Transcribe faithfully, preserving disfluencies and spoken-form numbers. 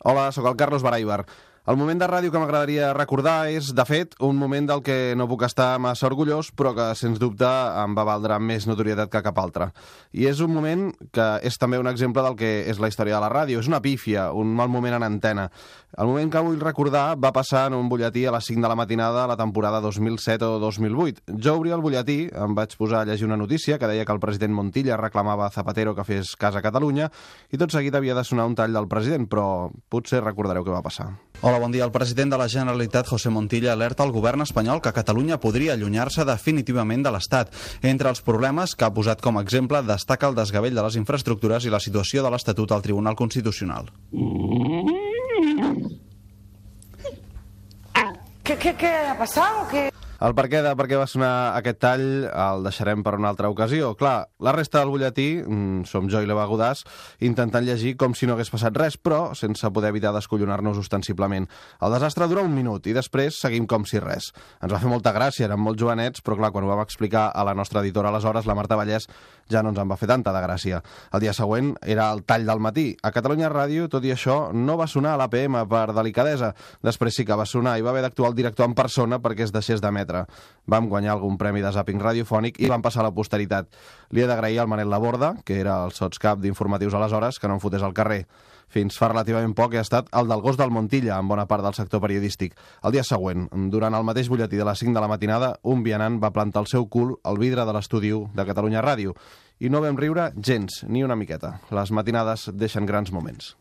Hola, sóc el Carlos Baraibar. El moment de ràdio que m'agradaria recordar és, de fet, un moment del que no puc estar massa orgullós, però que, sens dubte, em va valdre més notorietat que cap altre. I és un moment que és també un exemple del que és la història de la ràdio. És una pífia, un mal moment en antena. El moment que vull recordar va passar en un butlletí a les cinc de la matinada a la temporada dos mil set o dos mil vuit. Jo obria el butlletí, em vaig posar a llegir una notícia que deia que el president Montilla reclamava a Zapatero que fes cas a Catalunya i tot seguit havia de sonar un tall del president, però potser recordareu què va passar. Hola, bon dia. El president de la Generalitat, José Montilla, alerta al govern espanyol que Catalunya podria allunyar-se definitivament de l'Estat. Entre els problemes que ha posat com a exemple destaca el desgavell de les infraestructures i la situació de l'Estatut al Tribunal Constitucional. ¿Qué, qué, qué ha pasado? ¿Qué? El perquè de per què va sonar aquest tall el deixarem per una altra ocasió. Clar, la resta del butlletí, mmm, som jo i l'Eva Godàs, intentant llegir com si no hagués passat res, però sense poder evitar descollonar-nos ostensiblement. El desastre dura un minut i després seguim com si res. Ens va fer molta gràcia, érem molt jovenets, però clar, quan ho vam explicar a la nostra editora aleshores, la Marta Vallès, ja no ens en va fer tanta de gràcia. El dia següent era el tall del matí. A Catalunya Ràdio, tot i això, no va sonar a l'A P M per delicadesa. Després sí que va sonar i va haver d'actuar el director en persona perquè es deixés d'emetre. Vam guanyar algun premi de zàping radiofònic i vam passar a la posteritat. Li he d'agrair al Manel Laborda, que era el sotscap d'informatius aleshores, que no em fotés al carrer. Fins fa relativament poc he estat el del gos del Montilla en bona part del sector periodístic. El dia següent, durant el mateix butlletí de les cinc de la matinada, un vianant va plantar el seu cul al vidre de l'estudi de Catalunya Ràdio. I no vam riure gens, ni una miqueta. Les matinades deixen grans moments.